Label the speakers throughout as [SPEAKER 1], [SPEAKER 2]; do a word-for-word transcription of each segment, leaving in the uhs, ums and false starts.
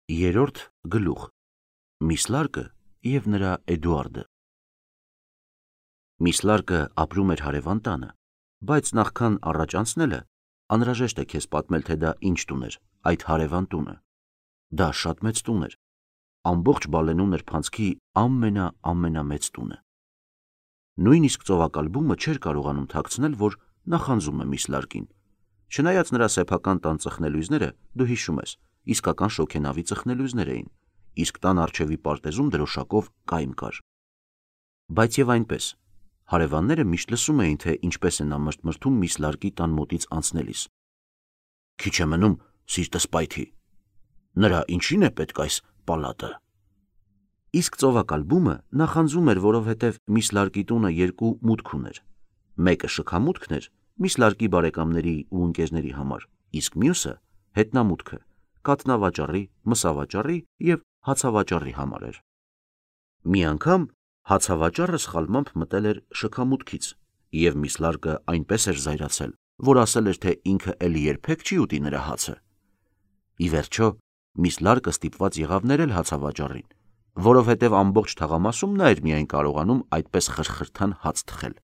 [SPEAKER 1] Երրորդ գլուխ. Միսլարկը և նրա Էդուարդը։ Միսլարկը ապրում էր հարևան տանը, բայց նախքան առաջ անցնելը անհրաժեշտ է քեզ պատմել, թե դա ինչ տուն էր, այդ հարևան տունը։ Դա շատ մեծ տուն էր, ամբողջ Բալենու նրբանցքի ամենա-ամենամեծ տունը։ Նույնիսկ ծովակալբումը չէր կարողանում թաքցնել, որ նախանձում է Միսլարկին, չնայած նրա սեփական տան ծխնելույզները, դու հիշում ես, իսկական շոգենավի ծխնելույզներ էին, իսկ տան առջևի պարտեզում դրոշակով կայմ կար։ Բայց և այնպես, հարևանները միշտ լսում էին, թե ինչպես է նա մրթմրթում Միսլարկի տան մոտից անցնելիս։ Քիչ է մնում, սիրտս պայթի, նրա ինչին է պետք այս պալատը։ Իսկ ծովակալբումը նախանձում էր, որովհետև Միսլարկի տունը երկու մուտք ուներ։ Մեկը շքամուտքն էր Միսլարկի բարեկամների ու ընկերների համար, իսկ մյուսը հետնամուտքը կաթնավաճառի, մսավաճառի և հացավաճառի համար էր։ Մի անգամ հացավաճառը սխալմամբ մտել էր շքամուտքից, և Միսլարկը այնպես էր զայրացել, որ ասել էր, թե ինքը էլի երբեք չի ուտի նրա հացը։ Ի վերջո, Միսլարկը ստիպված եղավ ներել հացավաճառին, որովհետև ամբողջ թաղամասում նա էր միայն կարողանում այդպես խրխրթան հաց թխել։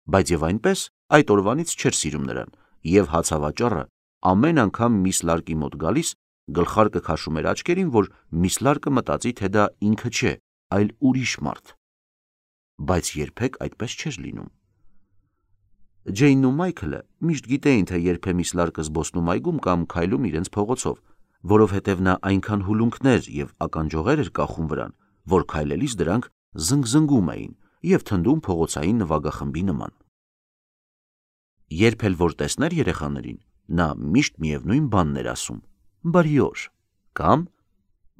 [SPEAKER 1] Բայց և այնպես այդ օրվանից չէր սիրում նրան, և հացավաճառը ամեն անգամ Միսլարկի մոտ գալիս գլխարկը քաշում էր աչքերին, որ Միսլարկը մտածի, թե դա ինքը չէ, այլ ուրիշ մարդ։ Բայց երբեք այդպես չէր լինում։ Ջեյնն ու Մայքլը միշտ գիտեին, թե երբ է Միսլարկը զբոսնում այգում կամ քայլում իրենց փողոցով, որովհետև նա այնքան հուլունքներ և ականջողեր էր կախում վրան, որ քայլելիս դրանք զնգզնգում էին և թնդում փողոցային նվագախմբի նման։ Երբ էլ որ տեսներ երեխաներին, նա միշտ միևնույն բանն էր ասում. «Բարի օր» կամ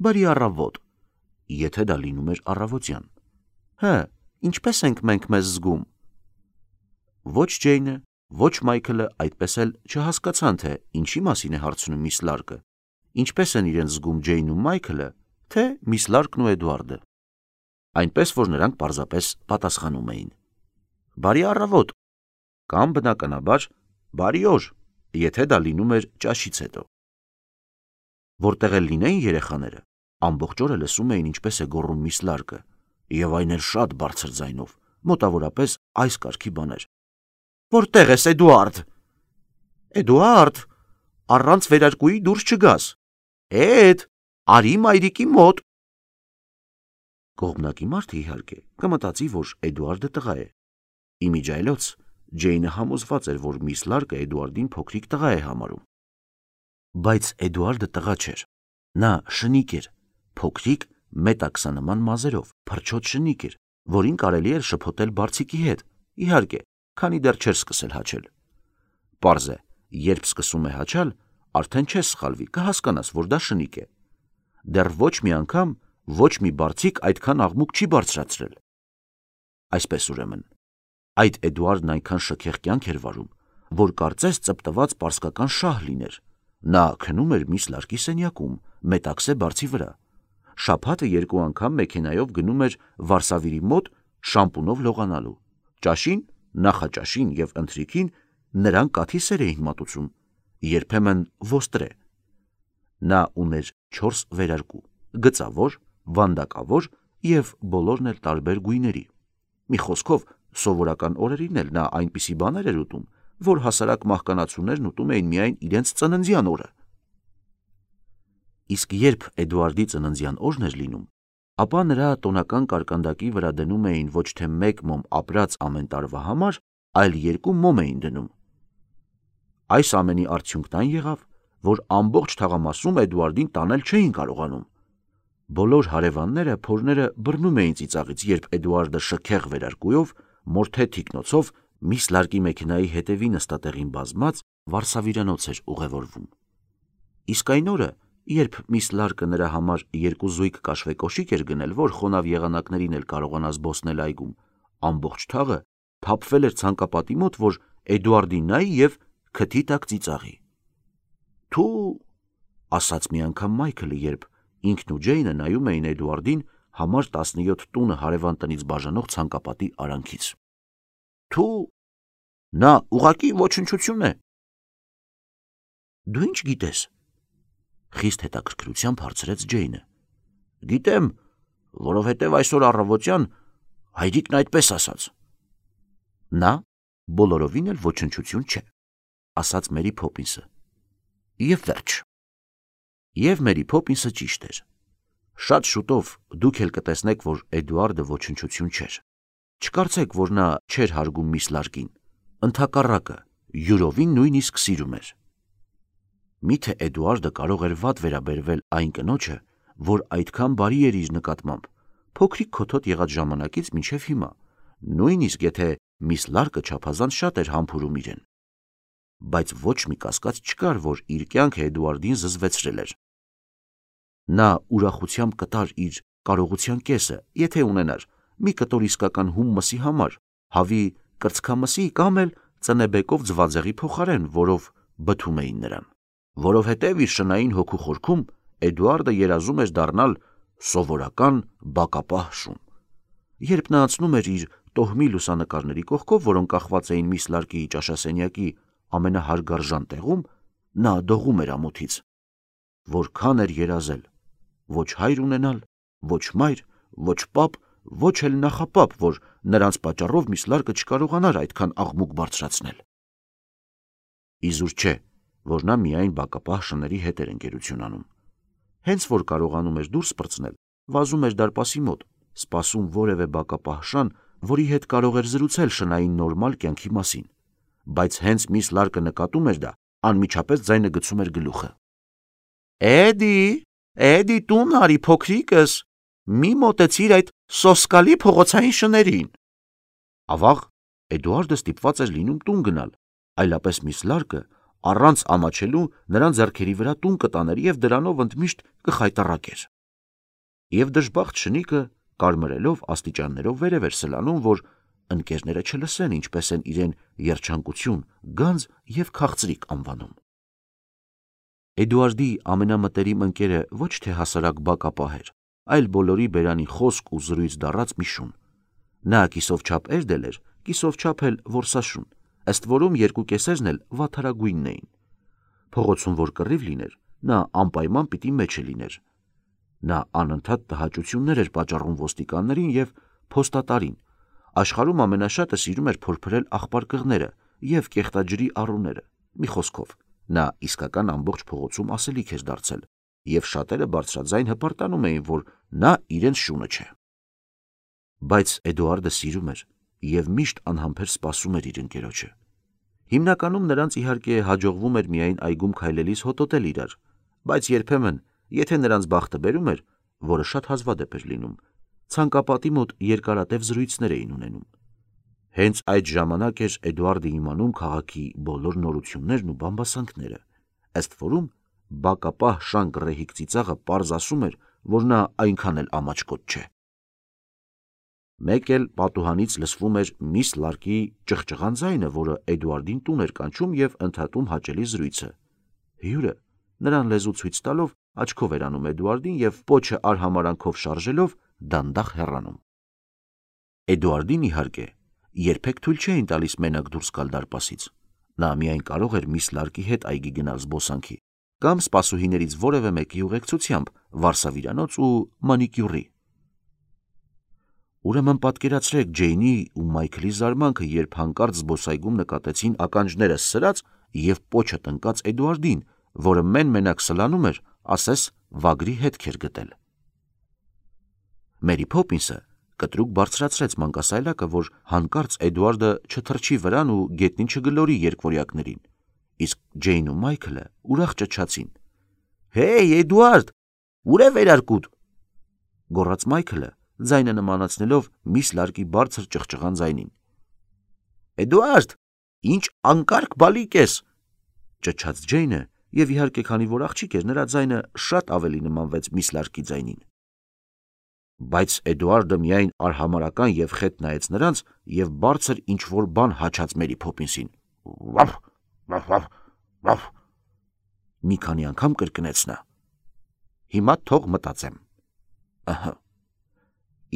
[SPEAKER 1] «Բարի առավոտ», եթե դա լինում էր առավոտյան։ «Հը, ինչպես ենք մենք մեզ զգում»։ Ոչ Ջեյնը, ոչ Մայքլը այդպես էլ չհասկացան, թե ինչի մասին է հարցնում Միսլարկը, ինչպես են իրենց զգում Ջեյնն ու Մայքլը, թե Միսլարկն ու Էդուարդը։ Այնպես որ նրանք պարզապես պատասխանում էին. «Բարի առավոտ» կամ բնականաբար «Բարի օր», եթե դա լինում էր ճաշից հետո։ Որտեղ էլ լինեին երեխաները, ամբողջ օրը լսում էին ինչպես է գոռում Միսլարկը, և այն էլ շատ բարձր ձայնով, մոտավորապես այս կարգի բաներ. «Որտե՞ղ ես, Էդուարդ»։ «Էդուարդ, առանց վերարկուի դուրս չգաս»։ «Էդ, արի մայրիկի մոտ»։ Կողմնակի մարդը, իհարկե, կմտածի, որ Էդուարդը տղա է։ Իմիջիայլոց Ջեյնը համոզված էր, որ Միսլարկը Էդուարդին փոքրիկ տղա է համարում։ Բայց Էդուարդը տղա չէր։ Նա շնիկ էր, փոքրիկ մետաքսանման մազերով, փրչոտ շնիկ էր, որին կարելի էր շփոթել բարձիկի հետ, իհարկե, քանի դեռ չէր սկսել հաչել։ Պարզ է, երբ սկսում է հաչալ, արդեն չես սխալվի, կհասկանաս, որ դա շնիկ է։ Դեռ ոչ մի անգամ ոչ մի բարձիկ այդքան աղմուկ չի բարձրացրել։ Այսպես ուրեմն, այդ Էդուարդն այնքան շքեղ կյանք էր վարում, որ կարծես ծպտված պարսկական շահ լիներ։ Նա քնում էր Միսլարկի սենյակում, մետաքսե բարձի վրա։ Շաբաթը երկու անգամ մեքենայով գնում էր Վարսավիրի մոտ շամպունով լողանալու։ Ճաշին, նախաճաշին և ընթրիքին նրան կաթի սեր էին մատուցում, երբեմն ոստրե։ Նա ուներ չորս վերարկու՝ գծավոր, վանդակավոր և բոլորն էլ տարբեր գույների։ Մի խոսքով, սովորական օրերին էլ նա այնպիսի բաներ էր ուտում, որ հասարակ մահկանացուներն ուտում էին միայն իրենց ծննդյան օրը։ Իսկ երբ Էդուարդի ծննդյան օրն էր լինում, ապա նրա տոնական կարկանդակի վրա դնում էին ոչ թե մեկ մոմ ապրած ամեն տարվա համար, այլ երկու մոմ էին դնում։ Այս ամենի արդյունքն այն եղավ, որ ամբողջ թաղամասում Էդուարդին տանել չէին կարողանում։ Բոլոր հարևանները փորները բռնում էին ծիծաղից, երբ Էդուարդը շքեղ վերարկուով, մորթե թիկնոցով Միսլարկի մեքենայի հետևի նստատեղին բազմած վարսավիրանոց էր ուղևորվում։ Իսկ այն օրը, երբ Միսլարկը նրա համար երկու զույգ կաշվե կոշիկ էր գնել, որ խոնավ եղանակներին էլ կարողանա զբոսնել այգում, ամբողջ թաղը թափվել էր ցանկապատի մոտ, որ Էդուարդին նայի և քթի տակ ծիծաղի։ «Թու», ասաց մի անգամ Մայքլը, երբ ինքն ու Ջեյնը նայում էին Էդուարդին համար տասնյոթ տունը հարևան տնից բաժանող ցանկապատի արանքից։ «Թու, նա ուղղակի ոչնչություն է»։ «Դու ինչ գիտես»։ Խիստ հետաքրքրությամբ հարցրեց Ջեյնը։ Գիտեմ, որովհետև այսօր առավոտյան հայրիկն այդպես ասաց։ Նա բոլորովին էլ ոչնչություն չէ, ասաց Մերի Փոփինսը։ Եվ վերջ։ Եվ Մերի Փոփինսը ճիշտ էր։ Շատ շուտով դուք էլ կտեսնեք, որ Էդուարդը ոչնչություն չէր։ Չկարծեք, որ նա չէր հարգում միս Լարկին, ընդհակառակը, յուրովին նույնիսկ սիրում էր։ Միթե Էդուարդը կարող էր վատ վերաբերվել այն կնոջը, որ այդքան բարի էր իր նկատմամբ, փոքրիկ քոթոտ եղած ժամանակից մինչև հիմա, նույնիսկ եթե միս Լարկը չափազանց շատ էր համբուրում իրեն։ Բայց ոչ մի կասկած չկար, որ իր կյանքը Էդուարդին զզվեցրել էր։ Նա ուրախությամբ կտար իր կարողության կեսը, եթե ունենար մի կտոր իսկական հում մսի համար, հավի կրծքամսի կամ էլ ծնեբեկով ձվածեղի փոխարեն, որով բթում էին նրան, որովհետև իր շնային հոգու խորքում Էդուարդը երազում էր դառնալ սովորական բակապահ շուն։ Երբ նա անցնում էր իր տոհմի լուսանկարների կողքով, որոնք կախված էին միս Լարկի ճաշասենյակի ամենահարգարժան տեղում, նա դողում էր ամոթից։ Որքան էր երազել, ոչ հայր ունենալ, ոչ մայր, ոչ պապ, ոչ էլ նախապապ, որ նրանց պատճառով միս Լարկը չկարողանար այդքան աղմուկ բարձրացնել։ Իզուր չէ, որ նա միայն բակապահ շների հետ էր ընկերություն անում։ Հենց որ կարողանում էր դուրս պրծնել, վազում էր դարպասի մոտ, սպասում որևէ բակապահ շան, որի հետ կարող էր զրուցել շնային նորմալ կյանքի մասին, բայց հենց միս Լարկը նկատում էր դա, անմիջապես ձայնը գցում էր գլուխը։ Էդի, Էդի տուն արի փոքրիկս, մի մոտեցիր այդ սոսկալի փողոցային շներին։ Ավաղ Էդուարդը ստիպված էր լինում տուն գնալ, այլապես միս Լարկը առանց ամաչելու նրան ձեռքերի վրա տուն կտաներ և դրանով ընդմիշտ կխայտառակեր։ Եվ դժբախտ շնիկը կարմրելով աստիճաններով վերև էր սլանում, որ ընկերները չլսեն ինչպես են իրեն երջանկություն, գանձ և քաղցրիկ անվանում։ Էդուարդի ամենամտերիմ ընկերը ոչ թե հասարակ բակապահ էր, այլ բոլորի բերանի խոսք ու զրույց դառած մի շուն։ Նա կիսով չափ էրդել էր, կիսով չափ էլ որսաշուն, ըստ որում երկու կեսերն էլ վատթարագույնն էին։ Փողոցում որ կռիվ լիներ, նա անպայման պիտի մեջը լիներ։ Նա անընդհատ տհաճություններ էր պատճառում ոստիկաններին և փոստատարին, աշխարհում ամենաշատը սիրում էր փորփրել աղբարկղները և կեղտաջրի առուները, մի խոսքով, նա իսկական ամբողջ փողոցում ասելիք էր դարձել, և շատերը բարձրաձայն հպարտանում էին, որ նա իրենց շունը չէ։ Բայց Էդուարդը սիրում էր և միշտ անհամբեր սպասում էր իր ընկերոջը։ Հիմնականում նրանց իհարկե հաջողվում էր միայն այգում քայլելիս հոտոտել իրար, բայց երբեմն, եթե նրանց բախտը բերում էր, որը շատ հազվադեպ էր լինում, ցանկապատի մոտ երկարատև զրույցներ էին ունենում։ Հենց այդ ժամանակ էր Էդուարդը իմանում քաղաքի բոլոր նորություններն ու բամբասանքները, ըստ որում բակապահ շան գռեհիկ ծիծաղը պարզ ասում էր, որ նա այնքան էլ ամաչկոտ չէ։ Մեկ էլ պատուհանից լսվում էր միս Լարկի ճղճղան ձայնը, որը Էդուարդին տուն էր կանչում և ընդհատում հաճելի զրույցը։ Հյուրը, նրան լեզու ցույց տալով, աչքով էր անում Էդուարդին և պոչը արհամարանքով շարժելով դանդաղ հեռանում։ Էդուարդին, իհարկե, երբեք թույլ չէին տալիս մենակ դուրս գալ դարպասից։ Նա միայն կարող էր միս Լարկի հետ այգի գնալ զբոսանքի կամ սպասուհիներից որևէ մեկի ուղեկցությամբ վարսավիրանոց ու մանիկյուրի։ Ուրեմն պատկերացրեք Ջեյնի ու Մայքլի զարմանքը, երբ հանկարծ զբոսայգում նկատեցին ականջները սրած և պոչը տնկած Էդուարդին, որը մեն-մենակ սլանում էր, ասես վագրի հետք էր գտել։ Մերի Փոփինսը կտրուկ բարձրացրեց մանկասայլակը, որ հանկարծ Էդուարդը չթռչի վրան ու գետնին չգլորի երկվորյակներին, իսկ Ջեյնն ու Մայքլը ուրախ ճչացին. «Հեյ, Էդուարդ, ուր է վերարկուդ», գոռաց Մայքլը, ձայնը նմանացնելով միս Լարկի բարձր ճղճղան ձայնին։ «Էդուարդ, ինչ անկարգ բալիկ ես», ճչաց Ջեյնը, և իհարկե, քանի որ աղջիկ էր, նրա ձայնը շատ ավելի նմանվեց միս Լարկի ձայնին։ Բայց Էդուարդը միայն արհամարհական և խետ նայեց նրանց և բարձր ինչ-որ բան հաչաց Մերի Փոփինսին։ «Վաֆ, վաֆ, վաֆ, վաֆ», մի քանի անգամ կրկնեց նա։ «Հիմա թող մտածեմ։ Ըհը,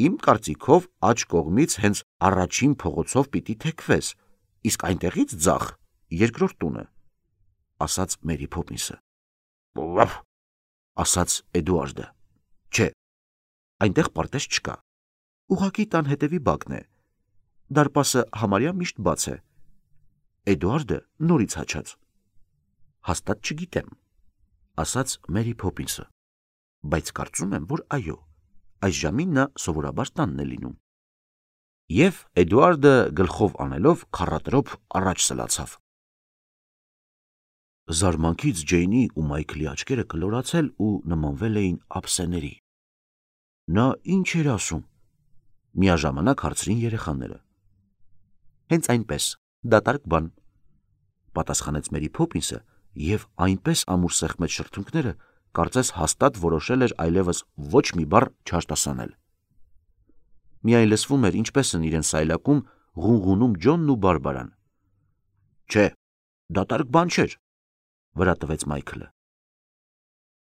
[SPEAKER 1] իմ կարծիքով աջ կողմից հենց առաջին փողոցով պիտի թեքվես, իսկ այնտեղից ձախ երկրորդ տունը», ասաց Մերի Փոփինսը։ «Վաֆ, ասաց Էդուարդը։ Չէ, այնտեղ պարտեզ չկա։ Ուղղակի տան հետևի բակն է։ Դարպասը համարյա միշտ բաց է։ Էդուարդը նորից հաչաց։ Հաստատ չգիտեմ, ասաց Մերի Փոփինսը, բայց կարծում եմ, որ այո, այս ժամին նա սովորաբար տանն է լինում։ Եվ Էդուարդը գլխով անելով քառատրոփ առաջ սլացավ։ Զարմանքից Ջեյնի ու Մայքլի աչքերը կլորացել ու նմանվել էին ափսեների։ Նա ինչ էր ասում։ Միաժամանակ հարցրին երեխաները։ Հենց այնպես, դատարկ բան, պատասխանեց Մերի Փոփինսը և այնպես ամուր սեղմեց շրթունքները, կարծես հաստատ որոշել էր այլևս ոչ մի բառ չարտասանել։ Միայն լսվում էր ինչպես են իրեն սայլակում ղունղունում Ջոնն ու Բարբարան։ Չէ, դատարկ բան չէր, վրա տվեց Մայքլը։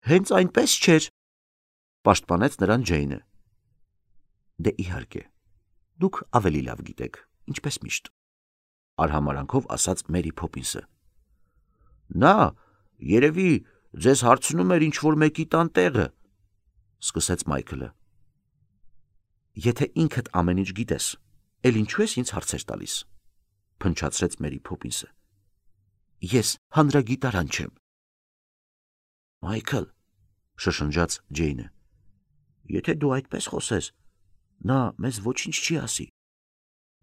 [SPEAKER 1] Հենց այնպես չէր, պաշտպանեց նրան Ջեյնը։ Դե իհարկե, դուք ավելի լավ գիտեք, ինչպես միշտ, արհամարանքով ասաց Մերի Փոփինսը։ Նա երևի ձեզ հարցնում էր ինչ-որ մեկի տան տեղը, սկսեց Մայքլը։ Եթե ինքդ ամեն ինչ գիտես, էլ ինչու ես ինձ հարցեր տալիս, փնչացրեց Մերի Փոփինսը։ Ես հանրագիտարան չեմ։ Մայքլ, շշնջաց Ջեյնը, եթե դու այդպես խոսես, նա մեզ ոչինչ չի ասի։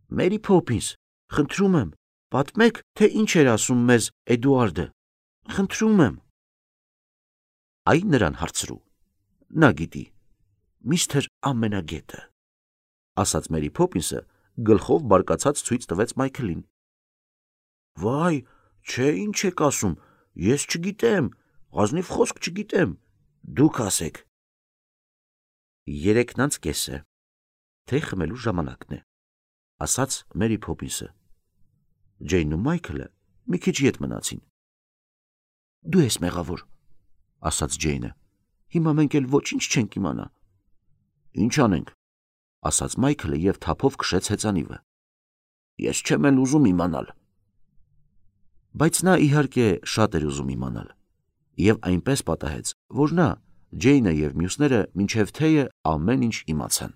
[SPEAKER 1] Մերի Փոփինս, խնդրում եմ, պատմեք, թե ինչ էր ասում մեզ Էդուարդը, խնդրում եմ։ Այ նրան հարցրու, նա գիտի, միստր ամենագետը, ասաց Մերի Փոփինսը, գլխով բարկացած ցույց տվեց Մայքլին։ Վայ, չէ, ինչ եք ասում, ես չգիտեմ, ազնիվ խոսք չգիտեմ, դուք ասեք։ Երեքն անց կես է, թե խմելու ժամանակն է, ասաց Մերի Փոփինսը։ Ջեյնն ու Մայքլը մի քիչ ետ մնացին։ Դու ես մեղավոր, ասաց Ջեյնը, հիմա մենք էլ ոչինչ չենք իմանա։ Ինչ անենք, ասաց Մայքլը և թափով քշեց հեծանիվը։ Ես չեմ էլ ուզում իմանալ։ Բայց նա իհարկե շատ էր ուզում իմանալ, և այնպես պատահեց, որ նա, Ջեյնը և մյուսները մինչև թեյը ամեն ինչ իմացան։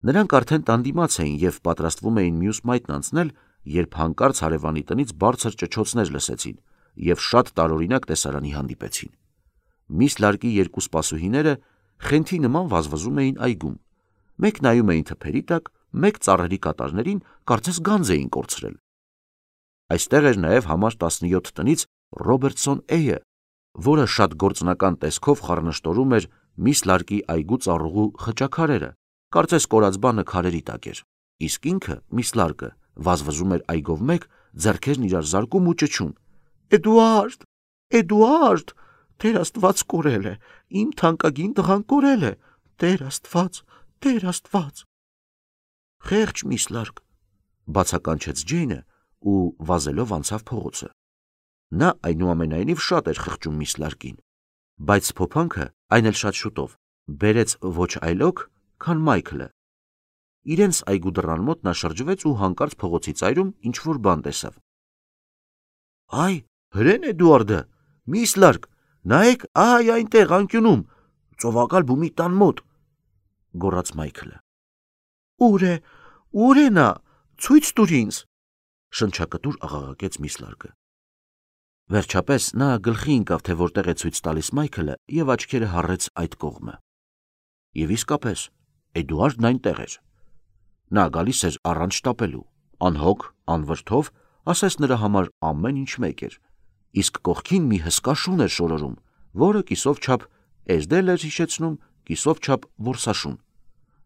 [SPEAKER 1] Նրանք արդեն տան դիմաց էին և պատրաստվում էին մյուս մայթն անցնել, երբ հանկարծ հարևանի տնից բարձր ճչոցներ լսեցին և շատ տարօրինակ տեսարանի հանդիպեցին։ Միս Լարկի երկու սպասուհիները խենթի նման վազվզում էին այգում, մեկ նայում էին թփերի տակ, մեկ ծառերի կատարներին, կարծես գանձ էին կորցրել։ Այստեղ էր նաև համար տասնյոթ տնից Ռոբերտսոն Էյը, որը շատ գործնական տեսքով խառնշտորում էր Միս Լարկի այգու ծառուղու խճաքարերը, կարծես կորած բանը քարերի տակ էր, իսկ ինքը, Միս Լարկը, վազվզում էր այգով մեկ, ձեռքերն իրար զարկում ու ճչում. Էդուարդ, Էդուարդ, Տեր Աստված կորել է, իմ թանկագին տղան կորել է, Տեր Աստված, Տեր Աստված։ Խեղճ Միս Լարկ, բացականչեց Ջեյնը ու վազելով անցավ փողոցը։ Նա այնուամենայնիվ շատ էր խղճում Միս Լարկին, բայց փոփանքը, այն էլ շատ շուտով, բերեց ոչ այլոք, քան Մայքլը։ Իրենց այգու դռան մոտ նա շրջվեց ու հանկարծ փողոցի ծայրում ինչ-որ բան տեսավ։ Այ, հրեն Էդուարդը, Միս Լարկ, նայեք, այ այնտեղ անկյունում, ծովակալ բումի տան մոտ, գոռաց Մայքլը։ Ուր է, ուր է նա, ցույց տուր ինձ, շնչակտուր աղաղակեց Միս Լարկը։ Վերջապես նա գլխի ընկավ, թե որտեղ է ցույց տալիս Մայքլը, և աչքերը հառեց այդ կողմը։ Եվ իսկապես, Էդուարդն այնտեղ էր։ Նա գալիս էր առանց շտապելու, անհոգ, անվրդով, ասես նրա համար ամեն ինչ մեկ էր, իսկ կողքին մի հսկա շուն էր շորորում, որը կիսով չափ էզդել էր հիշեցնում, կիսով չափ որսաշուն,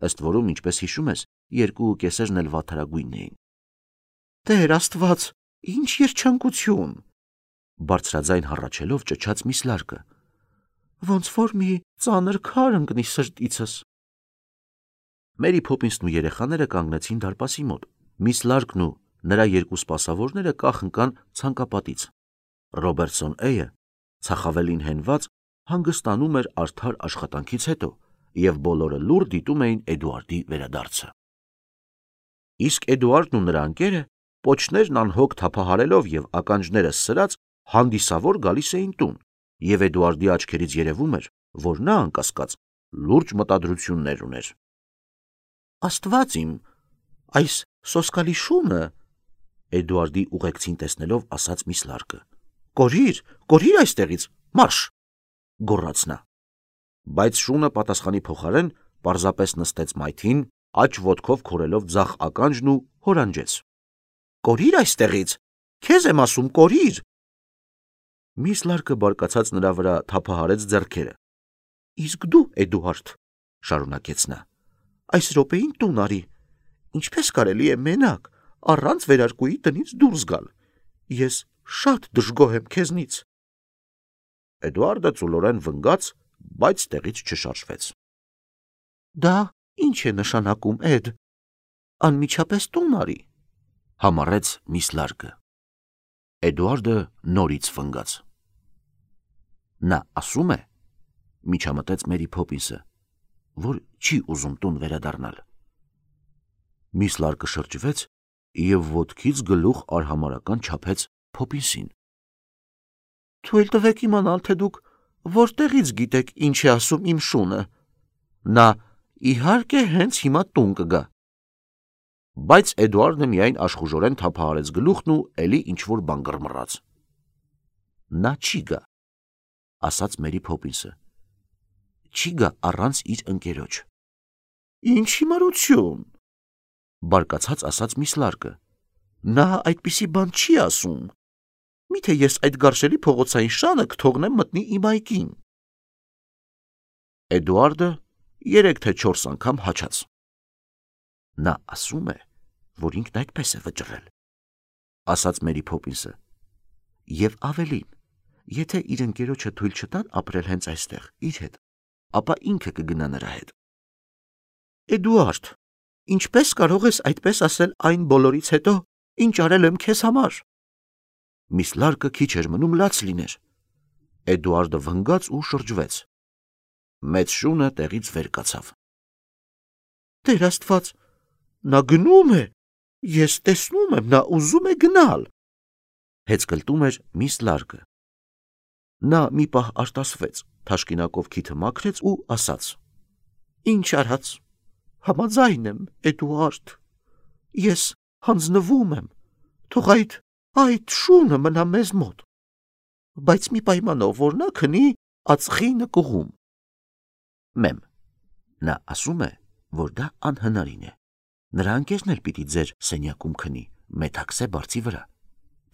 [SPEAKER 1] ըստ որում, ինչպես հիշում ես, երկու կեսերն էլ վաթարագույնն էին։ Տեր Աստված, ինչ երջանկություն, բարձրաձայն հառաչելով ճչաց Միս Լարկը, ոնց որ մի ծանր քար ընկնի սրտիցս։ Մերի Փոփինսն ու երեխաները կանգնեցին դարպասի մոտ, Միս Լարկն ու նրա երկու սպասավորները կախ ընկան ցանկապատից։ Ռոբերտսոն Էյը, ցախավելին հենված, հանգստանում էր արդար աշխատանքից հետո, և բոլորը լուռ դիտում էին Էդուարդի վերադարձը։ Իսկ Էդուարդն ու նրա ընկերը, պոչներն անհոգ թափահարելով և ականջները սրած, հանդիսավոր գալիս էին տուն, Եվ Էդուարդի աչքերից երևում էր, որ նա անկասկած լուրջ մտադրություններ ուներ։ Աստված իմ, այս սոսկալի շունը, Էդուարդի ուղեկցին տեսնելով ասաց Միս Լարկը։ Կորիր, կորիր այստեղից, մարշ, գոռաց նա։ Բայց շունը պատասխանի փոխարեն պարզապես նստեց մայթին, աջ ոտքով քորելով ձախ ականջն ու հորանջեց։ Կորիր այստեղից, քեզ եմ ասում, կորիր։ Միս Լարկը բարկացած նրա վրա թափահարեց ձեռքերը։ Իսկ դու, Էդուարդ, շարունակեց նա, այս րոպեին տուն արի, ինչպես կարելի է մենակ, առանց վերարկուի տնից դուրս գալ, ես շատ դժգոհ եմ քեզնից։ Էդուարդը ծուլորեն վնգաց, բայց տեղից չշարժվեց։ Դա ինչ է նշանակում, Էդ, անմիջապես տուն արի, համառեց Միս Լարկը։ Էդուարդը նորից վնգաց։ Նա ասում է, միջամտեց Մերի Փոփինսը, որ չի ուզում տուն վերադառնալ։ Միս Լարկը շրջվեց և ոտքից գլուխ արհամարհական չափեց Փոփինսին։ Թույլ տվեք իմանալ, թե դուք որտեղից գիտեք ինչ է ասում իմ շունը։ Նա իհարկե հենց հիմա տուն կգա։ Բայց Էդուարդը միայն աշխուժորեն թափահարեց գլուխն ու էլի ինչ-որ բան գռմռաց։ Նա չի գա, ասաց Մերի Փոփինսը։ Չի գա առանց իր ընկերոջ։ Ինչ հիմարություն, բարկացած ասաց Միս Լարկը։ Նա այդպիսի բան չի ասում։ Միթե ես այդ գարշելի փողոցային շանը կթողնեմ մտնի իմ այգին։ Էդուարդը երեք թե չորս անգամ հաչաց։ Նա ասում է, որ ինքն այդպես է վճռել, ասաց Մերի Փոփինսը։ Եվ ավելին, եթե իր ընկերոջը թույլ չտան ապրել հենց այստեղ, իր հետ, ապա ինքը կգնա նրա հետ։ Էդուարդ, ինչպես կարող ես այդպես ասել այն բոլորից հետո, ինչ արել եմ քեզ համար։ Միս Լարկը քիչ էր մնում լաց լիներ։ Էդուարդը վնգաց ու շրջվեց։ Մեծ շունը տեղից վեր կացավ։ Տեր Աստված, նա գնում է, ես տեսնում եմ, նա ուզում է գնալ, հեծկլտում էր Միս Լարկը։ Նա մի պահ արտասվեց, թաշկինակով քիթը մաքրեց ու ասաց. Ինչ արած, համաձայն եմ, Էդուարդ, ես հանձնվում եմ, թող այդ, այդ շունը մնա մեզ մոտ, բայց մի պայմանով, որ նա քնի ածխի նկուղում։ Մեմ, նա ասում է, որ դա անհնարին է, նրա ընկերն էլ պիտի ձեր սենյակում քնի, մեթաքսե բարձի վրա,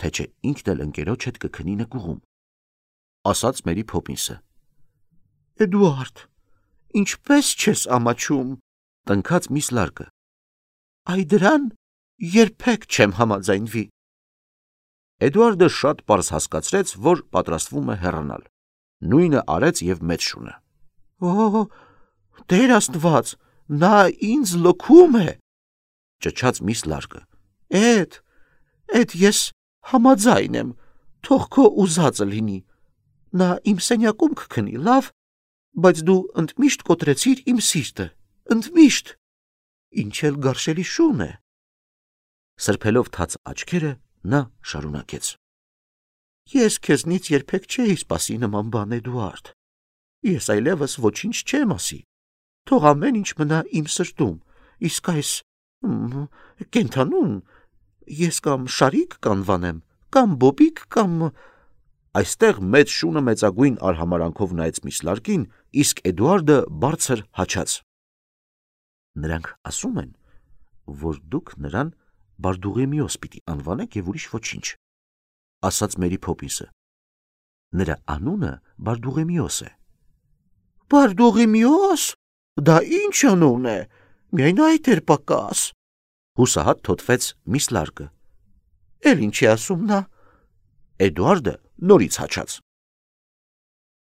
[SPEAKER 1] թե չէ ինքն էլ ընկերոջ հետ կքնի նկուղում, ասաց Մերի Փոփինսը։ Էդուարդ, ինչպես չես ամաչում, տնքաց Միս Լարկը։ Այ դրան երբեք չեմ համաձայնվի։ Էդուարդը շատ պարզ հասկացրեց, որ պատրաստվում է հեռանալ։ Նույնը արեց և մեծ շունը։ Օ, Տեր Աստված, նա ինձ լքում է, ճչաց Միս Լարկը։ Էդ, էդ ես համաձայն եմ, թող քո ուզածը լինի։ Նա իմ սենյակում կքնի, լավ, բայց դու ընդմիշտ կոտրեցիր իմ սիրտը, ընդմիշտ, ինչ էլ գարշելի շուն է։ Սրբելով թաց աչքերը, նա շարունակեց. Ես քեզնից երբեք չէի սպասի նման բան, Էդուարդ։ Ես այլևս ոչինչ չեմ ասի, թող ամեն ինչ մնա իմ սրտում, իսկ այս կենդանուն ես կամ Շարիկ կանվանեմ, կամ Բոբիկ, կամ… Այստեղ մեծ շունը մեծագույն արհամարանքով նայեց Միս Լարկին, իսկ Էդուարդը բարձր հաչաց։ Նրանք ասում են, որ դուք նրան Բարդուղիմեոս պիտի անվանեք և ուրիշ ոչինչ, ասաց Մերի Փոփինսը։ Նրա անունը Բարդուղիմեոս է։ Բարդուղիմեոս, դա ինչ անուն է, միայն այդ էր պակաս, հուսահատ թոթվեց Միս Լարկը։ Էլ ինչ է ասում նա։ Էդուարդը նորից հաչաց։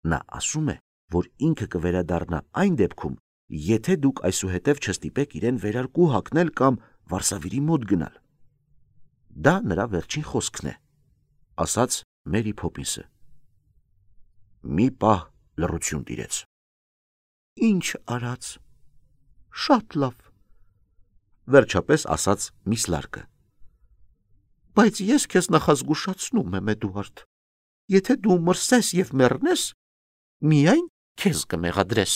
[SPEAKER 1] Նա ասում է, որ ինքը կվերադառնա այն դեպքում, եթե դուք այսուհետև չստիպեք իրեն վերարկու հագնել կամ վարսավիրի մոտ գնալ։ Դա նրա վերջին խոսքն է, ասաց Մերի Փոփինսը։ Մի պահ լռություն տիրեց։ Ինչ արած, շատ լավ, վերջապես ասաց Միս Լարկը։ Բայց ես քեզ նախազգուշացնում եմ, Էդուարդ, եթե դու մրսես և մեռնես, Միայն քեզ կմեղադրես։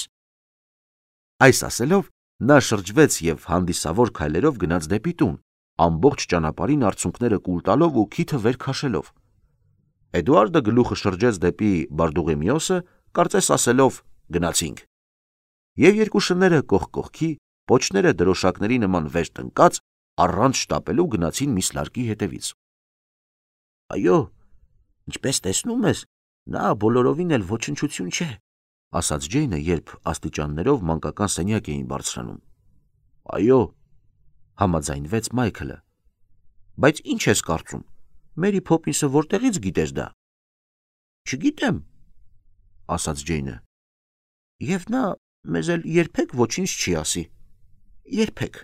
[SPEAKER 1] Այս ասելով նա շրջվեց եւ հանդիսավոր քայլերով գնաց դեպի տուն, ամբողջ ճանապարհին արցունքները կուլ տալով ու քիթը վեր քաշելով։ Էդուարդը գլուխը շրջեց դեպի Բարդուղիմեոսը, կարծես ասելով. գնացինք։ Եվ երկու շները կողք կողքի, պոչները դրոշակների նման վեր տնկած, առանց շտապելու գնացին Միսլարկի հետևից։ Այո, ինչպես տեսնում ես, նա բոլորովին էլ ոչնչություն չէ, ասաց Ջեյնը, երբ աստիճաններով մանկական սենյակ էին բարձրանում։ Այո, համաձայնվեց Մայքլը։ Բայց ինչ ես կարծում, Մերի Փոփինսը որտեղից գիտես դա։ Չգիտեմ, ասաց Ջեյնը։ Եվ նա մեզ էլ երբեք ոչինչ չի ասի։ Երբեք։